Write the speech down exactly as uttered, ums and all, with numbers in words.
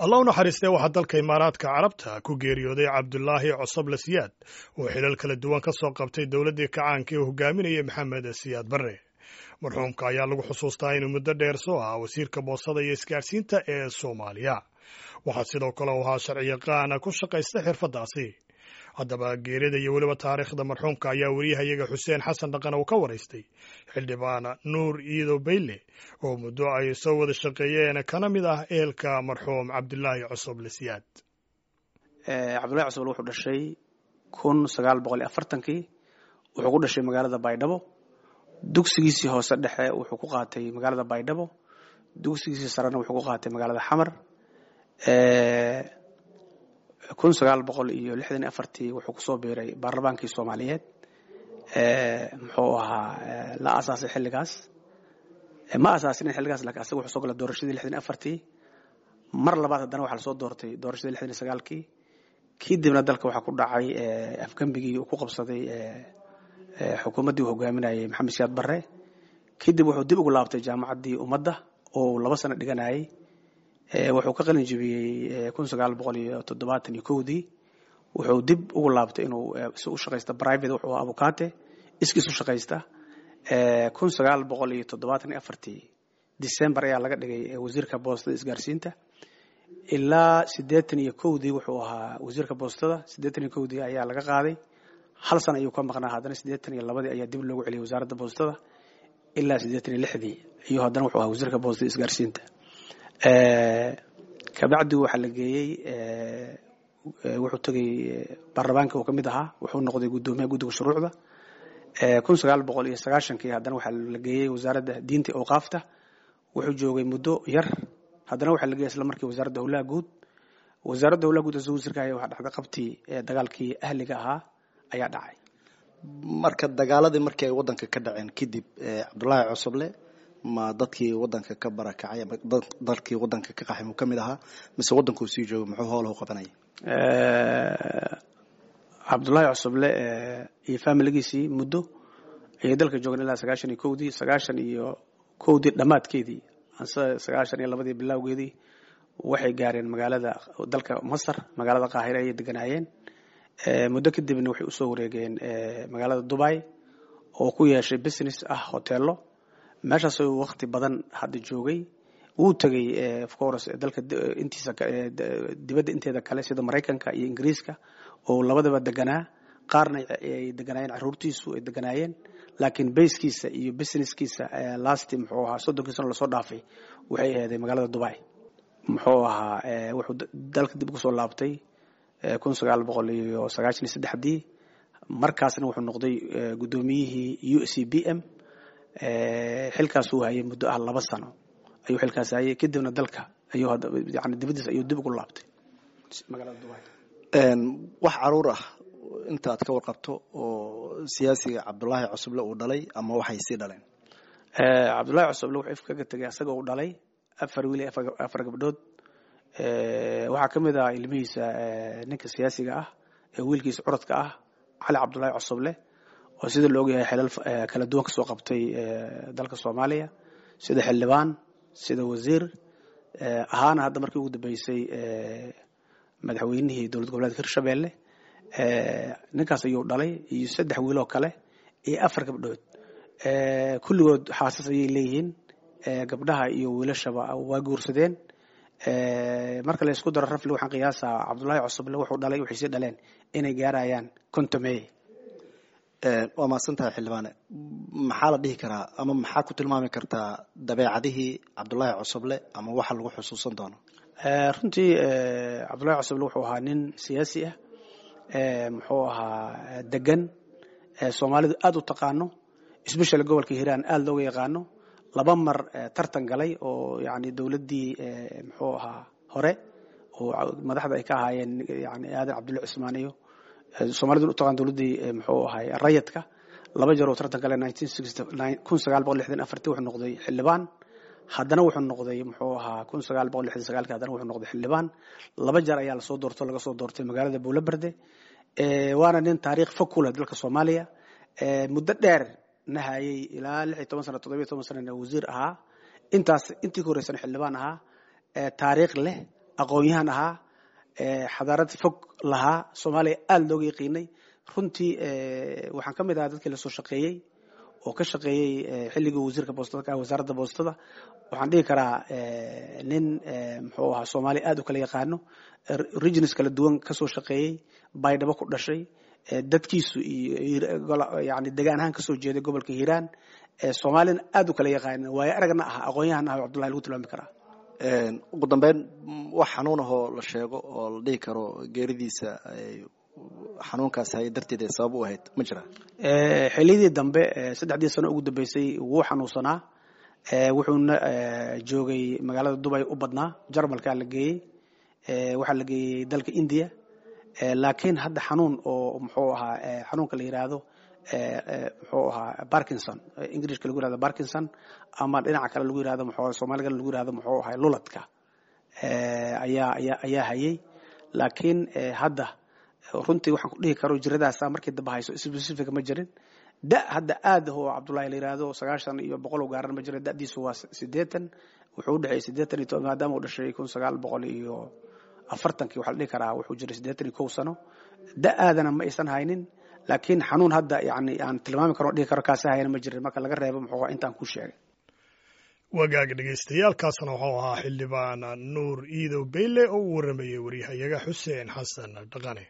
Allah u naxariistee, waxaa dalka Imaaraadka Carabta ku geeriyooday Cabdulaahi Cosoble Siyaad oo xilal kala duwan ka soo qabtay dowladdii kacaanka ee hogaaminayay Maxamed Siyaad Barre. Marxuumka ayaa lagu xusuustaa inuu muddo dheer soo ahaa wasiirka boosada iyo isgaadhsiinta ee Soomaaliya. Waxaa sidoo kale u ahaa sharciyaqaana ku shaqaysta xirfaddaasi. Haddaba, geerida iyo weliba taariikhda marxuumka ayaa weriyahayaga Xuseen Xasan Dhaqan uu ka waraystay xildhibaan Nuur Iido Bayle oo muddo ay soo wada shaqeeyeen, kana mid ah ehelka marxuum Cabdulaahi Cosoble Siyaad. Cabdullahi Cosoble wuxuu dhashay kun sagaal boqol iyo afartankii. Wuxuu ku dhashay magaalada Baydhabo. Dugsigiisii hoose dhexe wuxuu ku qaatay magaalada Baydhabo, dugsigiisii sarena wuxuu ku qaatay magaalada Xamar. Kun sagaal boqol iyo lixdan iyo afartii wuxuu kusoo biiray baarlamaankii Soomaaliyeed. Muxuu ahaa la aasaasay xilligaas? Ma asaasinin xilligaas, lakin asaga wuxuu soo galay doorashadii lixdan iyo afartii. Mar labaad haddana waxaa lasoo doortay doorashadii lixdan iyo sagaalkii. Kadibna dalka waxaa ku dhacay afgembigii uu ku qabsaday xukuumaddii uu hogaaminayay Maxamed Siyaad Barre. Kadib wuxuu dib ugu laabtay Jaamacaddii Ummadda oo uu laba sano dhiganayay. Wuxuu ka qalin jebiyey kun sagaal boqol iyo toddobaatan iyo kowdii. Wuxuu dib ugu laabtay inuu si u shaqaysta private. Wuxuu abukaate iskiis u shaqaysta. Kun sagaal boqol iyo toddobaatan iyo afartii December ayaa laga dhigay wasiirka boostada isgaarsiinta. Ilaa siddeetan iyo kowdii wuxuu ahaa wasiirka boostada. Siddeetan iyo kowdii ayaa laga qaaday, hal sana ayuu ka maqnaa. Haddana siddeetan iyo labadii ayaa dib loogu celiyay wasaaradda boostada. Ilaa siddeetan iyo lixdii ayuu haddana wuxuu ahaa wasiirka boostada isgaarsiinta. Kabacdi waxaa la geeyey, wuxuu tegey baarlamaanka uu ka mid ahaa, wuxuu noqday guddoomiyaha guddiga shuruucda. Kun sagaal boqol iyo sagaashankii haddana waxaa la geeyey Wasaaradda Diinta iyo Awqaafta. Wuxuu joogay muddo yar. Haddana waxaa la geeyey isla markii Wasaaradda Howlaha Guud. Wasaaradda Howlaha Guud asagoo wasiirka haya waxaa dhacday qabtii dagaalkii ahliga ahaa ayaa dhacay. Marka dagaaladii markii ay waddanka ka dhaceen kadib, Cabdullaahi Cosoble ma dadkii waddanka ka barakacay ama dadkii waddanka ka qaxay muu ka mid ahaa, mise waddankuu sii joogay? Muxuu howlahu qabanayay? Cabdullaahi Cosoble iyo familigiisii muddo ayay dalka joogeen, ilaa sagaashan iyo kowdii. Sagaashan iyo kowdii dhammaadkeedii anse sagaashan iyo labadii bilowgeedii waxay gaareen magaalada dalka Masar, magaalada Qaahire ayay deganaayeen. Muddo kadibna waxay usoo wareegeen magaalada Dubai oo ku yeeshay business ah hoteelo. Meeshaasoo waqti badan hadda joogay. Wuu tegey, of course, dalka intiisa dibadda inteeda kale, sida Maraykanka iyo Ingiriiska oo labadaba deganaa, qaarna ay deganaayeen carruurtiisu ay deganaayeen. Laakiin basekiisa iyo businesskiisa last muxuu ahaa soddonkii sano lasoo dhaafay waxay aheeday magaalada Dubai. Muxuu ahaa, wuxuu dalka dib ugu soo laabtay kun sagaal boqol iyo sagaashan iyo saddexdii. Markaasna wuxuu noqday guddoomiyihii U C B M. Xilkaasuu hayay muddo ah laba sano ayuu xilkaas hayay. Kadibna dalka ayuu yani dibaddiisa ayuu dib ugu laabtay magaalada Dubai. Wax caruur ah inta aad ka warqabto oo siyaasiga Cabdullaahi Cosoble uu dhalay ama waxay sii dhaleen? Cabdullaahi Cosoble wuxuu ifka kaga tegay asaga uu dhalay afar wiil iyo afar gabdhood. Waxaa ka mid ah ilmihiisa ninka siyaasiga ah ee wiilkiisa curadka ah, Cali Cabdullaahi Cosoble, oo sida la ogyahay xilal kala duwan kasoo qabtay dalka Soomaaliya, sida xildhibaan, sida wasiir ahaana, hadda markii ugu dambeysay madaxweynihii dowlad goboleedka Hirshabelle. Ninkaas ayuu dhalay iyo saddex wiil oo kale iyo afar gabdhood. Kulligood xaasas ayay leeyihiin. Gabdhaha iyo wiilashaba waa guursadeen. Marka la isku daro, roughly waxaan qiyaasaa Cabdullaahi Cosoble wuxuu dhalay, waxay sii dhaleen inay gaarayaan kontomeeye. Waa mahadsan tahay, xildhibaane. Maxaa la dhihi karaa ama maxaa ku tilmaami kartaa dabeecadihii Cabdullaahi Cosoble ama waxa lagu xusuusan doono? Runtii, Cabdullahi Cosoble wuxuu ahaa nin siyaasi ah, muxuu ahaa degan, Soomaalidu aada u taqaano, especially gobolka Hiiraan aada looga yaqaano. Laba mar tartan galay oo yani dowladdii muxuu ahaa hore oo madaxda ay ka ahaayeen yani Aadan Cabdulle Cusmaan iyo Soomaalidu u taqaan dowladdii muxuu ahay rayadka. Laba jeer oo tartan galay, kun sagaal boqol lixdan afartii wuxuu noqday xildhibaan. Haddana wuxuu noqday muxuu ahaa kun sagaal boqol lixdan sagaalki, haddana wuxuu noqday xildhibaan. Laba jeer ayaa lasoo doorto, laga soo doortay magaalada Buulaberde. Waana nin taariikh fog ku leh dalka Soomaaliya, muddo dheer na hayay, ilaa lix iyo toban sano, toddobiyo toban sanana wasiir ahaa, intaas intii ka horreysana xildhibaan ahaa, taariikh leh. Aqoon-yahan ahaa, xadaarad fog lahaa, Soomaaliya aada looga yaqiinay. Runtii waxaan ka mid ahaa dadkii lasoo shaqeeyey oo ka shaqeeyey xilligii wasiirka boostada ka ah wasaaradda boostada. Waxaan dhihi karaa nin muxuu ahaa Soomaaliya aada u kala yaqaano, regions kala duwan kasoo shaqeeyey, Baydhabo ku dhashay, dadkiisu iyo yani degaan ahaan kasoo jeeday gobolka Hiiraan, Soomaalina aada u kala yaqaanin, waayo aragna ah, aqoon-yahan ah Cabdullahi lagu tilmaami karaa. Ugu dambeyn, wax xanuun ahoo la sheego oo la dhihi karo geeridiisa xanuunkaas hay darteed ay sabab u ahayd ma jiraa? Xilliyadii dambe, saddexdii sano ugu dambeysay, wuu xanuunsanaa, wuxuuna joogay magaalada Dubay u badnaa. Jarmalkaa la geeyey, waxaa la geeyey dalka India, laakiin hadda xanuun oo muxuu ahaa xanuunka la yiraahdo muxuu ahaa Parkinson, Englishka lagu yirahdo Parkinson, ama dhinaca kale lagu yirahdo muxuu Soomaaliga lagu yirahdo muxuu ahaa luladka ayaa ayaa ayaa hayay. Laakiin hadda runtii waxaan ku dhihi karo jiradaasa markii dambe hayso specific ma jirin. Da hadda aad oo Cabdullahi la yiraahdo sagaashan iyo boqol u gaaran ma jirin. Da'diisu waa siddeetan, wuxuu u dhexeeyay siddeetan iyo toban, maadaama uu dhashay kun sagaal boqol iyo afartankii, waxaa la dhihi karaa wuxuu jiray siddeetan iyo kow sano. Da aadana ma aysan haynin, laakiin xanuun hadda yani aan tilmaami karo, dhihi karo kaasi hayana ma jirin, marka laga reebo muxuu intaan ku sheegay. Wagaaga dhegeystayaal, kaasna wuxuu ahaa xildhibaan Nuur Iidow Beyle oo uu warramayey waryahayaga Xuseen Xasan Dhaqane.